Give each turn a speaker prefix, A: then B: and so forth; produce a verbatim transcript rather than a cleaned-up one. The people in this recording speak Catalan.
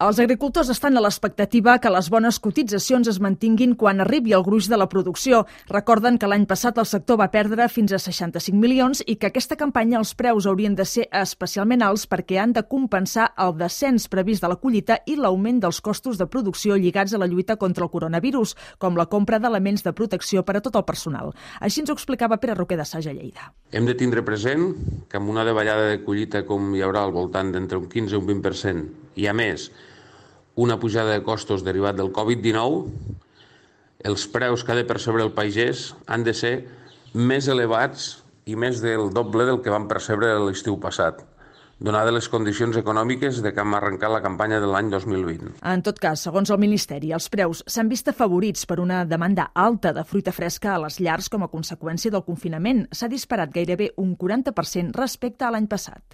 A: Els agricultors estan a l'expectativa que les bones cotitzacions es mantinguin quan arribi el gruix de la producció. Recorden que l'any passat el sector va perdre fins a seixanta-cinc milions i que aquesta campanya els preus haurien de ser especialment alts perquè han de compensar el descens previst de la collita i l'augment dels costos de producció lligats a la lluita contra el coronavirus, com la compra d'elements de protecció per a tot el personal. Així ens ho explicava Pere Roquer de Saja, Lleida.
B: Hem de tindre present que amb una davallada de collita com hi haurà al voltant d'entre un quinze i un vint per cent i, a més, una pujada de costos derivat del covid dinou, els preus que ha de percebre el pagès han de ser més elevats i més del doble del que van percebre l'estiu passat, donades les condicions econòmiques de que hem arrencat la campanya de l'any dos mil vint.
A: En tot cas, segons el Ministeri, els preus s'han vist afavorits per una demanda alta de fruita fresca a les llars com a conseqüència del confinament. S'ha disparat gairebé un quaranta per cent respecte a l'any passat.